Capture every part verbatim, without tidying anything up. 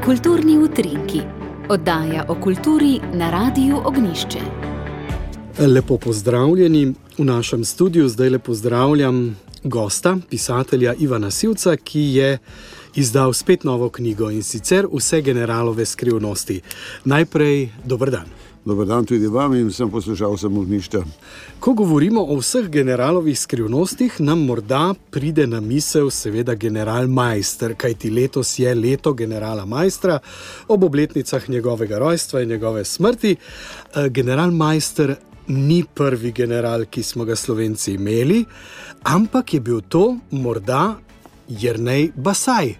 Kulturni utrinki. Oddaja o kulturi na Radiu Ognjišče. Lepo pozdravljeni. V našem studiu zdaj le pozdravljam gosta, pisatelja Ivana Sivca, ki je izdal spet novo knjigo, in sicer Vse generalove skrivnosti. Najprej, dober dan. Dober dan tudi vam in sem poslušalcem Ognjišča. Ko govorimo o vseh generalovih skrivnostih, nam morda pride na misel seveda general Maister, kajti letos je leto generala Maistra, ob obletnicah njegovega rojstva in njegove smrti. General Maister ni prvi general, ki smo ga Slovenci imeli, ampak je bil to morda Jernej Basaj.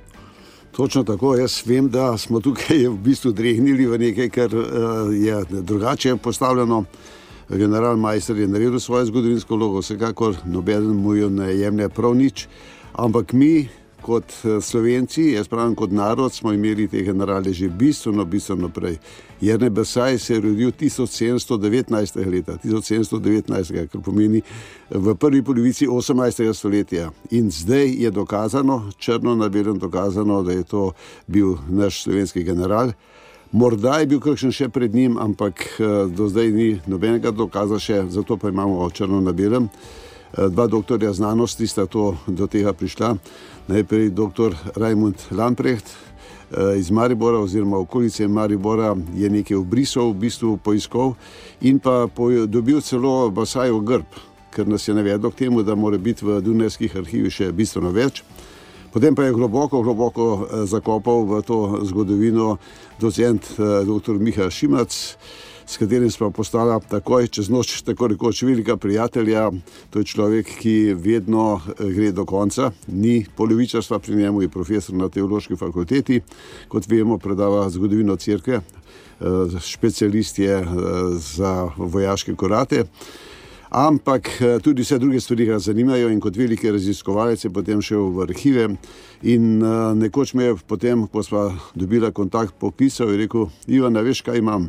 Točno tako, jaz vem, da smo tukaj v bistvu drehnili v nekaj, kar je drugače postavljeno. General Maister je naredil svojo zgodovinsko vlogo, vsekakor nobeden mu jo ne jemlje prav nič, ampak mi kot Slovenci, jaz pravim kot narod, smo imeli te generale že bistveno, bistveno prej. Jernej Basaj se je rodil tisoč sedemsto devetnajstega leta, tisoč sedemsto devetnajstega, kar pomeni v prvi polovici osemnajstega stoletja. In zdaj je dokazano, črno na belem dokazano, da je to bil naš slovenski general. Morda je bil kakšen še pred njim, ampak do zdaj ni nobenega dokaza še, zato pa imamo črno na belem. Dva doktorja znanosti sta to, do tega prišla. Najprej doktor Rajmund Lamprecht iz Maribora oziroma okolice Maribora je nekaj obrisov v bistvu poiskal in pa dobil celo Basajev grb, ker nas je navedlo k temu, da mora biti v dunajskih arhivih še bistveno več. Potem pa je globoko, globoko zakopal v to zgodovino docent doktor Miha Šimac, s katerim smo postala takoj čez noč tako rekoč velika prijatelja. To je človek, ki vedno gre do konca, ni polovičarstva pri njemu, je profesor na teološki fakulteti, kot vemo, predava zgodovino cerkve, specialist je za vojaške korate. Ampak tudi vse druge stvari ga zanimajo in kot veliki raziskovalec je potem šel v arhive in nekoč me je potem, ko sva dobila kontakt, popisal in rekel: Ivan, veš kaj imam?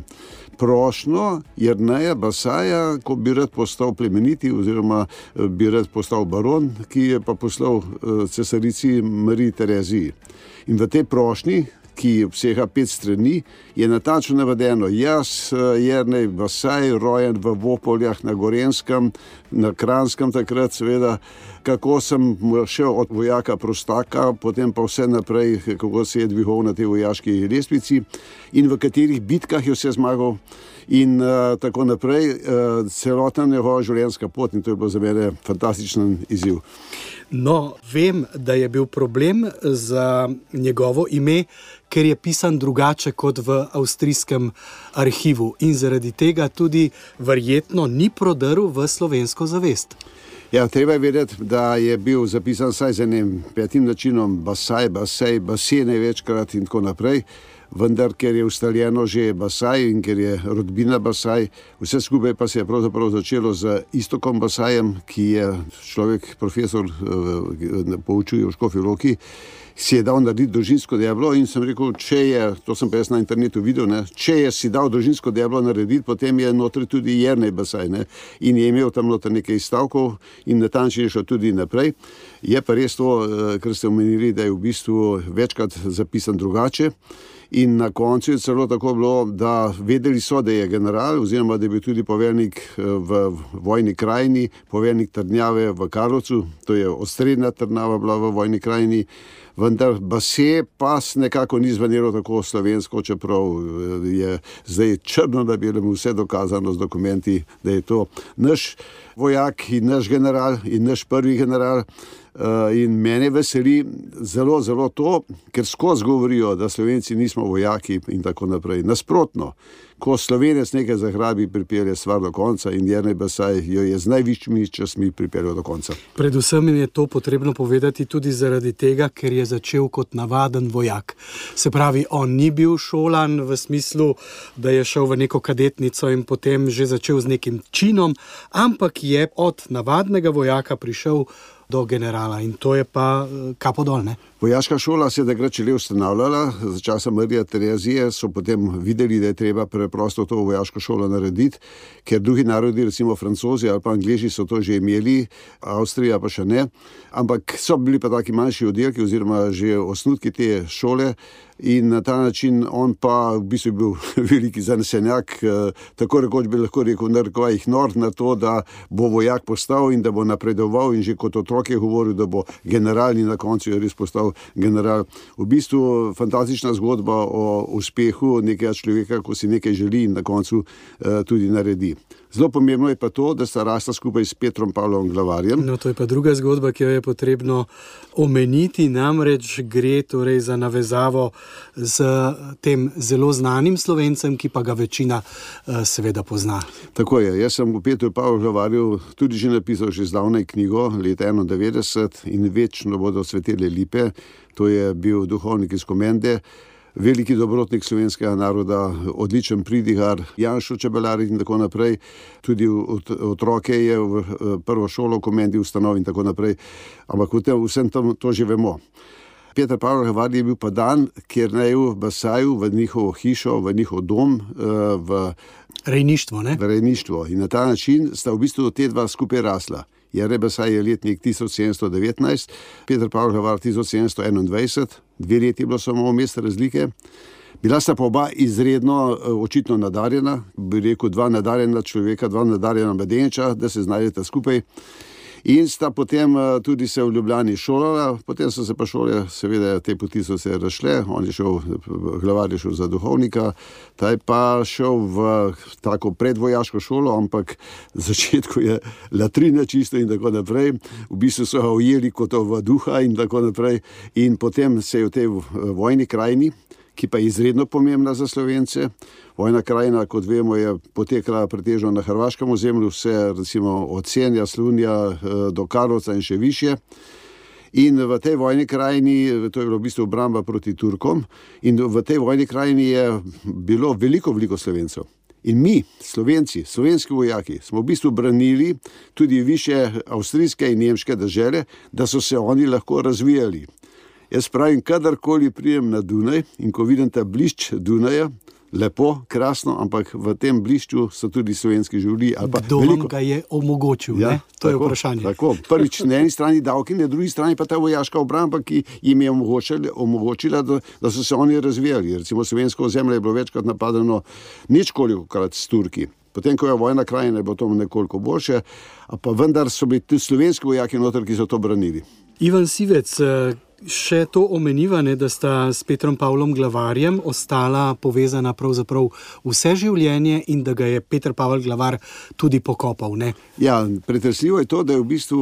Prošnjo Jerneja Basaja, ko bi rad postal plemeniti oziroma bi rad postal baron, ki je pa poslal cesarici Mariji Tereziji. In v tej prošnji, ki obsega pet strani, je natančno navedeno: jaz, Jernej Basaj, rojen v Vopoljah na Gorenjskem, na Kranjskem takrat seveda, kako sem šel od vojaka prostaka, potem pa vse naprej, kako se je dvigal na tej vojaški lestvici in v katerih bitkah je vse zmagal in uh, tako naprej, uh, celotna njegova življenjska pot, in to je bilo za mene fantastičen izziv. No, vem, da je bil problem za njegovo ime, ker je pisan drugače kot v avstrijskem arhivu in zaradi tega tudi verjetno ni prodrl v slovensko zavest. Ja, treba je vedeti, da je bil zapisan vsaj z enim petim načinom Basaj, Basej, Basej največkrat in tako naprej, vendar ker je ustaljeno že Basaj in ker je rodbina Basaj, vse skupaj pa se je pravzaprav začelo z Iztokom Basajem, ki je človek, profesor, poučuje v Škofji Loki, si je dal narediti družinsko deblo in sem rekel, če je, to sem pa jaz na internetu videl, ne, če je si dal družinsko deblo narediti, potem je notri tudi Jernej Basaj, ne, in je imel tam notri nekaj stavkov in natančneje šel tudi naprej. Je pa res to, kar ste omenili, da je v bistvu večkrat zapisan drugače. In na koncu je celo tako bilo, da vedeli so, da je general oziroma da je bil tudi poveljnik v vojni krajini, poveljnik trdnjave v Karlovcu, to je osrednja trdnjava bila v vojni krajini, vendar Basaj pa nekako ni zvenelo tako slovensko, čeprav je zdaj črno na belem vse dokazano z dokumenti, da je to naš vojak in naš general in naš prvi general. Uh, in mene veseli zelo, zelo to, ker skozi govorijo, da Slovenci nismo vojaki in tako naprej. Nasprotno, ko Slovenec nekaj zagrabi, pripelje stvar do konca in Jernej Basaj jo je z najvišjimi častmi pripeljal do konca. Predvsem je to potrebno povedati tudi zaradi tega, ker je začel kot navaden vojak. Se pravi, on ni bil šolan v smislu, da je šel v neko kadetnico in potem že začel z nekim činom, ampak je od navadnega vojaka prišel do generala in to je pa kapo dol, ne? Vojaška šola se je takrat šele ustanavljala, za časa Marija Terezije so potem videli, da je treba preprosto to vojaško šolo narediti, ker drugi narodi, recimo Francozi ali pa Angleži so to že imeli, Avstrija pa še ne, ampak so bili pa taki manjši oddelki oziroma že osnutki te šole in na ta način on pa v bistvu bil veliki zanesenjak, tako rekoč bi lahko rekel narekovajih nor na to, da bo vojak postal in da bo napredoval in že kot otrok je govoril, da bo general in na koncu je res postal general. V bistvu fantastična zgodba o uspehu nekega človeka, ko si nekaj želi in na koncu uh, tudi naredi. Zelo pomembno je pa to, da sta rasla skupaj s Petrom Pavlom Glavarjem. No, to je pa druga zgodba, ki jo je potrebno omeniti, namreč gre torej za navezavo z tem zelo znanim Slovencem, ki pa ga večina uh, seveda pozna. Tako je, jaz sem v Petru Pavlu Glavarju tudi že napisal že zdavnaj knjigo, leta enaindevetdeset in večno bodo cvetele lipe, to je bil duhovnik iz Komende, veliki dobrotnik slovenskega naroda, odličen pridigar, Janšo Čebelar in tako naprej, tudi otroke je v prvo šolo v Komendi ustanovil in tako naprej, ampak vsem tam to že vemo. Peter Pavel Glavar je bil pa dan, kjer naj v Basaju, v njihovo hišo, v njihov dom, v rejništvo, ne? V rejništvo. In na ta način sta v bistvu te dva skupaj rasla. Jere Basaj je letnik tisoč sedemsto devetnajst, Peter Pavel Glavar tisoč sedemsto enaindvajset, dve leti je bilo samo vmes razlike. Bila sta pa oba izredno očitno nadarjena, bi rekel dva nadarjena človeka, dva nadarjena mladeniča, da se znajdeta skupaj. In sta potem tudi se v Ljubljani šolala, potem so se pa šole, seveda te poti so se razšle, on je šel, Glavar je šel za duhovnika, ta je pa šel v tako predvojaško šolo, ampak v začetku je latrina čisto in tako naprej, v bistvu so ga ujeli kot v duha in tako naprej in potem se je v tej vojni krajini, ki pa je izredno pomembna za Slovence. Vojna krajina, kot vemo, je potekala pretežno na hrvaškem ozemlju, vse recimo od Senja, Slunja do Karlovca in še više. In v tej vojni krajini, to je bilo v bistvu obramba proti Turkom, in v tej vojni krajini je bilo veliko, veliko Slovencev. In mi, Slovenci, slovenski vojaki, smo v bistvu branili tudi više avstrijske in nemške dežele, da so se oni lahko razvijali. Jaz pravim, kadarkoli prijem na Dunaj in ko vidim ta blišč Dunaja, lepo, krasno, ampak v tem blišču so tudi slovenski življi. Kdo vam ga je omogočil, ja, ne? To tako, je vprašanje. Tako, prvič na eni strani davki, na drugi strani pa ta vojaška obramba, ki jim je omogočila, omogočila da, da so se oni razvijali. Recimo slovensko ozemlje je bilo večkrat napadeno ničkolikokrat s Turki. Potem, ko je vojna krajina, je bilo to nekoliko boljše, pa vendar so bili tudi slovenski vojaki noter, ki so to branili. Ivan Sivec, še to omeniva, ne, da sta s Petrom Pavlom Glavarjem ostala povezana pravzaprav vse življenje in da ga je Peter Pavel Glavar tudi pokopal, ne? Ja, pretresljivo je to, da je v bistvu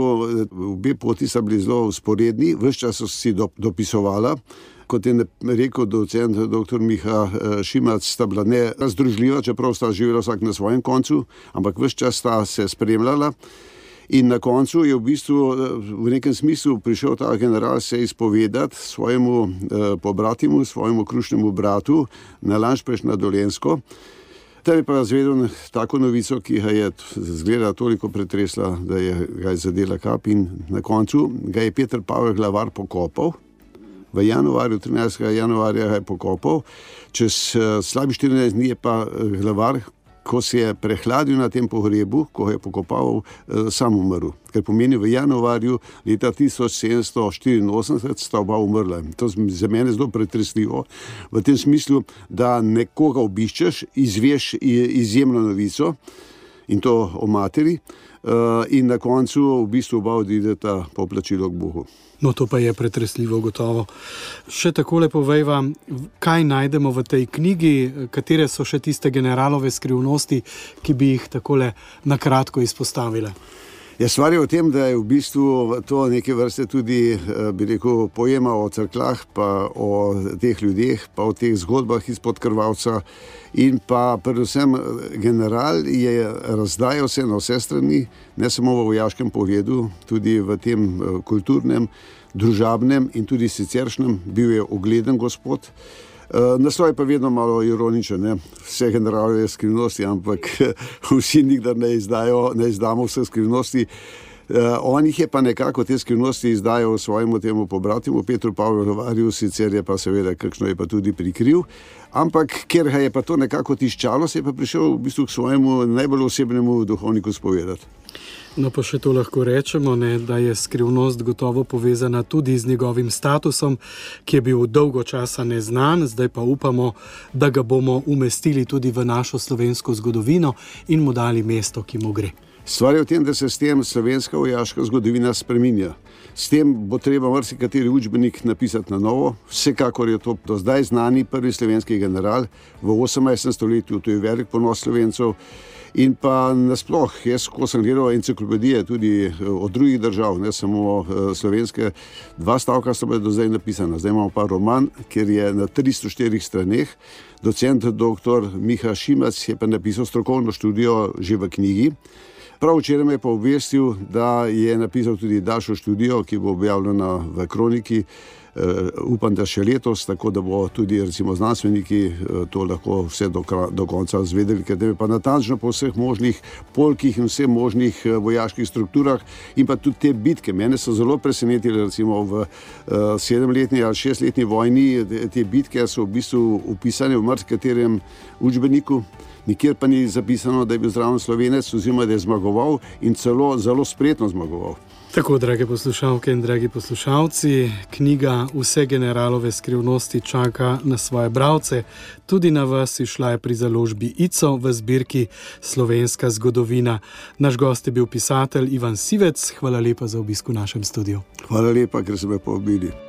obe poti sta bili zelo vzporedni, ves čas so si do, dopisovala. Kot je rekel docent doktor Miha Šimac, sta bila ne razdružljiva, čeprav sta živela vsak na svojem koncu, ampak ves čas sta se spremljala. In na koncu je v bistvu v nekem smislu prišel ta general se izpovedati svojemu eh, pobratimu, svojemu krušnemu bratu na Lanšpeš na Dolenjsko. Tam je pa zvedel tako novico, ki ga je zgleda toliko pretresla, da je ga je zadela kap in na koncu ga je Peter Pavel Glavar pokopal. V januarju, trinajstega januarja ga je pokopal, čez uh, slabi štirinajst dni je pa Glavar, ko se je prehladil na tem pogrebu, ko je pokopal, eh, sam umrl. Ker pomeni v januarju leta tisoč sedemsto štiriinosemdeset sta oba umrla. To je za mene zelo pretresljivo, v tem smislu, da nekoga obiščeš, izveš izjemno novico in to o materi eh, in na koncu v bistvu oba odideta po plačilo k Bogu. No, to pa je pretresljivo gotovo. Še takole povejva, kaj najdemo v tej knjigi, katere so še tiste generalove skrivnosti, ki bi jih takole nakratko izpostavile? Ja, stvar je v tem, da je v bistvu to neke vrste tudi, bi rekel, pojema o cerklah, pa o teh ljudeh, pa o teh zgodbah izpod krvavca in pa predvsem general je razdajal se na vse strani, ne samo v vojaškem pogledu, tudi v tem kulturnem, družabnem in tudi siceršnjem, bil je ugleden gospod. Naslov je pa vedno malo ironičen, ne? Vse generalove skrivnosti, ampak vsi nikdar ne izdajo, ne izdamo vse skrivnosti. Uh, on jih je pa nekako te skrivnosti izdajal svojemu temu pobratimu Petru Pavlu Rovarju, sicer je pa seveda kakšno je pa tudi prikril, ampak ker ga je pa to nekako tiščalo, se je pa prišel v bistvu k svojemu najbolj osebnemu duhovniku spovedati. No, pa še to lahko rečemo, ne, da je skrivnost gotovo povezana tudi z njegovim statusom, ki je bil dolgo časa neznan, zdaj pa upamo, da ga bomo umestili tudi v našo slovensko zgodovino in mu dali mesto, ki mu gre. Stvar je v tem, da se s tem slovenska vojaška zgodovina spreminja. S tem bo treba marsikateri učbenik napisati na novo. Vsekakor je to do zdaj znani prvi slovenski general v osemnajstem stoletju, to je velik ponos Slovencev. In pa nasploh, jaz, ko sem gledal enciklopedije tudi od drugih držav, ne samo slovenske, dva stavka so bila do zdaj napisana. Zdaj imamo pa roman, kjer je na tristo štirih straneh. Docent doktor Miha Šimac je pa napisal strokovno študijo že v knjigi. Prav včeraj me je pa obvestil, da je napisal tudi daljšo študijo, ki bo objavljena v Kroniki. Uh, upam, da še letos, tako da bo tudi recimo znanstveniki uh, to lahko vse do, do konca zvedeli, ker je pa natančno po vseh možnih polkih in vseh možnih uh, vojaških strukturah in pa tudi te bitke. Mene so zelo presenetili, recimo v uh, sedemletni ali šestletni vojni, te bitke so v bistvu upisane v marsikaterem učbeniku. Nikjer pa ni zapisano, da je bil zraven Slovenec oziroma da je zmagoval in celo zelo spretno zmagoval. Tako, drage poslušalke in dragi poslušalci, knjiga Vse generalove skrivnosti čaka na svoje bralce. Tudi na vas izšla je pri založbi Ico v zbirki Slovenska zgodovina. Naš gost je bil pisatelj Ivan Sivec. Hvala lepa za obisk v našem studiu. Hvala lepa, ker ste me povabili.